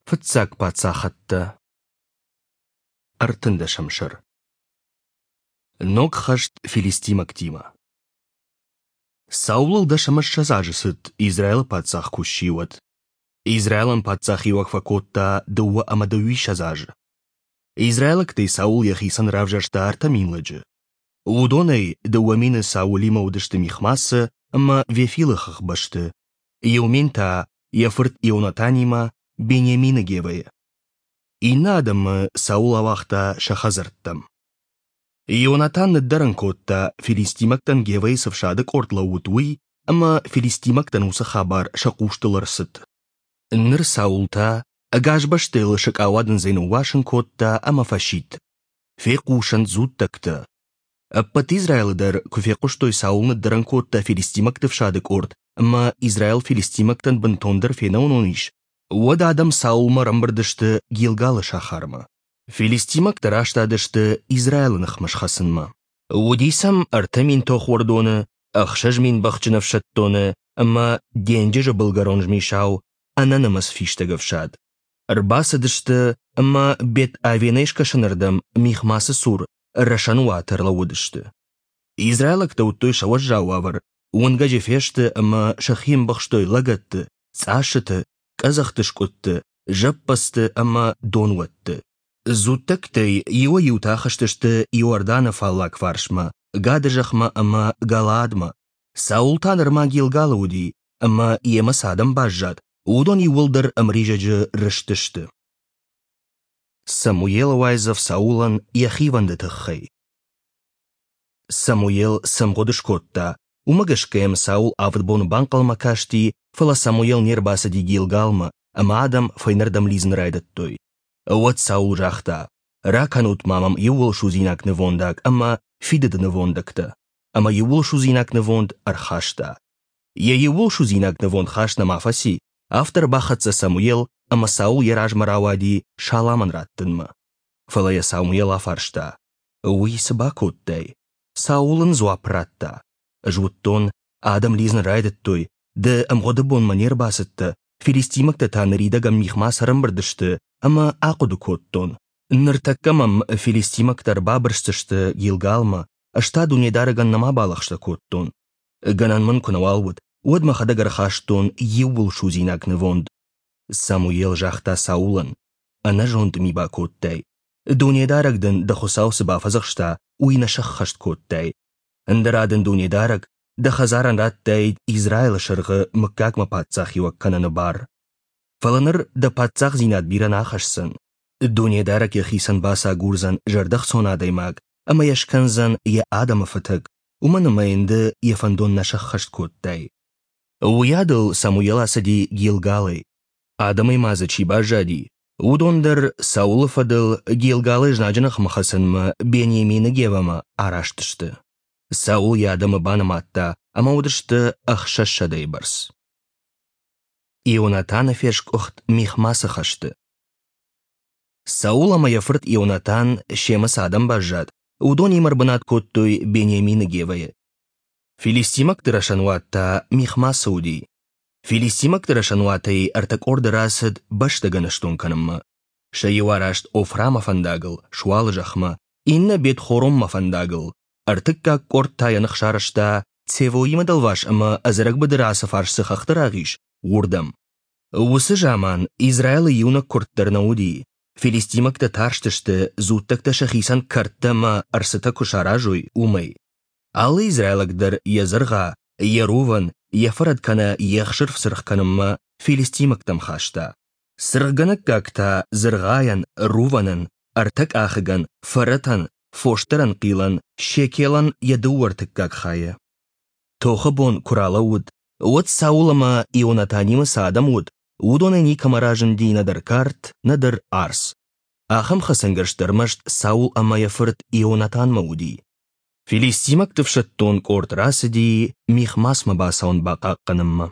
Фыццаг паддзахӕдтӕ. Ӕртындӕсӕм сӕр. Ног хӕст филистимӕгтимӕ. Саулыл 20 азы цыд, Израилы паддзах куы сси, уӕд. Израилӕн паддзахиуӕг фӕкодта 22 азы. Израилӕгтӕй Саул йӕхицӕн равзӕрста 3000 лӕджы. Уыдонӕй 2000 Саулимӕ уыдысты Михмасы ӕмӕ Вефилы хӕхбӕсты, 1000 та йӕ фырт Ионатанимӕ Бениамины Гевӕйы. Иннӕ адӕмы Саул ауагъта сӕ хӕдзӕрттӕм. Ионатан ныддӕрӕн кодта, филистимӕгтӕн Гевӕйы цы фсады къорд лӕууыд, уый, ӕмӕ филистимӕгтӕн уыцы хабар сӕ хъустыл ӕрцыд. Ныр Саул та ӕгас бӕстӕйыл сыкъауадындзӕй ныууасын кодта ӕмӕ фӕсидт: «Фехъусӕнт дзуттӕгтӕ!» Ӕппӕт Израилы дӕр куы фехъуыстой, Саул ныддӕрӕн кодта филистимӕгты фсады къорд ӕмӕ Израил филистимӕгтӕн бынтондӕр фенӕуынон ис, уӕд адӕм Саулмӕ ӕрӕмбырд сты Гилгалы сахармӕ. Филистимӕгтӕ растадысты Израилы ныхмӕ схӕцынмӕ. Уыди сӕм 3000 тохуӕрдоны, 6000 бӕхджын ӕфсӕддоны ӕмӕ денджызы былгӕрон змисау ӕнӕнымӕц фистӕг ӕфсад. Ӕрбацыдысты ӕмӕ Бет-Авенӕй скӕсӕнырдӕм Михмасы цур рӕсӕнуаты ӕрлӕууыдысты. Израилӕгтӕ уыдтой сӕ уӕззау уавӕр, уынгӕджы фесты ӕмӕ сӕхи ӕмбӕхстой лӕгӕтты, цъассыты, къӕдзӕхты скъуыдты, зӕппӕдзты ӕмӕ донуӕтты. Дзуттӕгтӕй иуӕй-иутӕ ахызтысты Иорданы фаллаг фарсмӕ, Гады зӕхмӕ ӕмӕ Галаадмӕ. Саул та нырма Гилгалы уыди, ӕмӕ йемӕ цы адӕм баззад, уыдон иууылдӕр ӕмризӕджы рызтысты. Самуелы уайдзӕф Саулӕн йӕ хивӕнды тыххӕй. Самуел цы мгъуыд скодта, уымӕ гӕсгӕ йӕм Саул авд боны банхъӕлмӕ касти, фӕлӕ Самуел не рбацыди Гилгалмӕ, ӕмӕ адӕм фӕйнӕрдӕм лидзын райдыдтой. Уӕд Саул загъта: «Ракӕнут-ма мӕм иууылсудзинаг нывондаг ӕмӕ фидыды нывондӕгтӕ». Ӕмӕ иууылсудзинаг нывонд ӕрхаста. Йӕ иууылсудзинаг нывонд хаст нӕма фӕци, афтӕ ӕрбахӕццӕ Самуел ӕмӕ Саул йӕ размӕ рауади саламӕн раттынмӕ. Фӕлӕ йӕ Самуел афарста: «Уый цы бакодтай?» Саул ын дзуапп радта: «Ӕз уыдтон, адӕм лидзын райдыдтой, ды ӕмгъуыды бонмӕ не рбацыдтӕ, филистимӕгтӕ та ныридӕгӕн михмӕ сӕрӕмбырд сты, ӕмӕ ахъуыды кодтон. Ныртӕккӕ мӕм филистимӕгтӕ ӕрбабырсдзысты Гилгалмӕ, ӕз та Дунедарӕгӕн нӕма балӕгъстӕ кодтон. Гӕнӕн мын куы нӕуал уыд, уӕд мӕхӕдӕг ӕрхастон иууылсудзинаг нывонд. Самуел загъта Саулӕн: «Ӕнӕзонд ми бакодтай. Дунедарӕг дын дӕ Хуыцау цы бафӕдзӕхста, уый нӕ сӕххӕст кодтай. Ӕндӕра дын Дунедарӕг дӕ хӕдзарӕн радтаид Израилы сӕргъы мыггагмӕ паддзахиуӕг кӕныны бар. Фӕлӕ ныр дӕ паддзахдзинад бирӕ нӕ ахӕсдзӕн. Дунедарӕг йӕхицӕн бацагурдзӕн зӕрдӕхцон адӕймаг ӕмӕ йӕ скӕндзӕн йӕ адӕмы фӕтӕг, уымӕн ӕмӕ йын ды йӕ фӕндон нӕ сӕххӕст кодтай. Уыйадыл Самуел ацыди Гилгалӕй. Адӕмӕй ма дзы чи баззади, уыдон дӕр Саулы фӕдыл Гилгалы знаджы ныхмӕ хӕцынмӕ Бениамины Гевӕмӕ араст сты. Саул йӕ адӕмы банымадта ӕмӕ уыдысты 600-йы бӕрц. Ионатаны фескъуыхт Михмасы хӕсты. Саул ӕмӕ йӕ фырт Ионатан семӕ цы адӕм баззад, уыдонимӕ ӕрбынат кодтой Бениамины Гевӕйы. Филистимӕгты рӕсӕнуат та Михмасы уыди. Филистимӕгты рӕсӕнуатӕй ӕртӕ къорды рацыд бӕстӕ гӕныстон кӕнынмӕ. Сӕ иу араст Офрамӕ фӕндагыл, Суалы зӕхмӕ, иннӕ Бет-Хоронмӕ фӕндагыл, ӕртыккаг къорд та йӕ ных сарӕзта Цевоимы дӕлваз ӕмӕ ӕдзӕрӕг быдыры ацы фарс цы хӕхты рагъ ис, уырдӕм. Уыцы заман Израилы иунӕг куырд дӕр нӕ уыди. Филистимӕгтӕ тарстысты, дзуттӕгтӕ сӕхицӕн кӕрдтӕ ӕмӕ ӕрцытӕ куы саразой, уымӕй. Алы израилаг дӕр йӕ дзыргъа, йӕ рувӕн, йӕ фӕрӕт кӕнӕ йе хсырф цыргъ кӕнынмӕ филистимӕгтӕм хаста. Цыргъгӕнӕггаг та дзыргъайӕн, рувӕнӕн, ӕртӕкъахыгӕн, фӕрӕтӕн, фосдарӕн хъилӕн, шекелӕн йӕ дыууӕ ӕртыккаг хайы. Тохы бон куы ралӕууыд, уӕд Саул ӕмӕ Ионатанимӕ цы адӕм уыд, уыдонӕй никӕмӕ разынди нӕдӕр кард, нӕдӕр арц. Ахӕм хӕцӕнгӕрзтӕ ӕрмӕст Саул ӕмӕ йӕ фырт Ионатанмӕ уыди. Филистимӕгты ӕфсӕддон къорд рацыди Михмасмӕ бацӕуын бахъахъхъӕнынмӕ.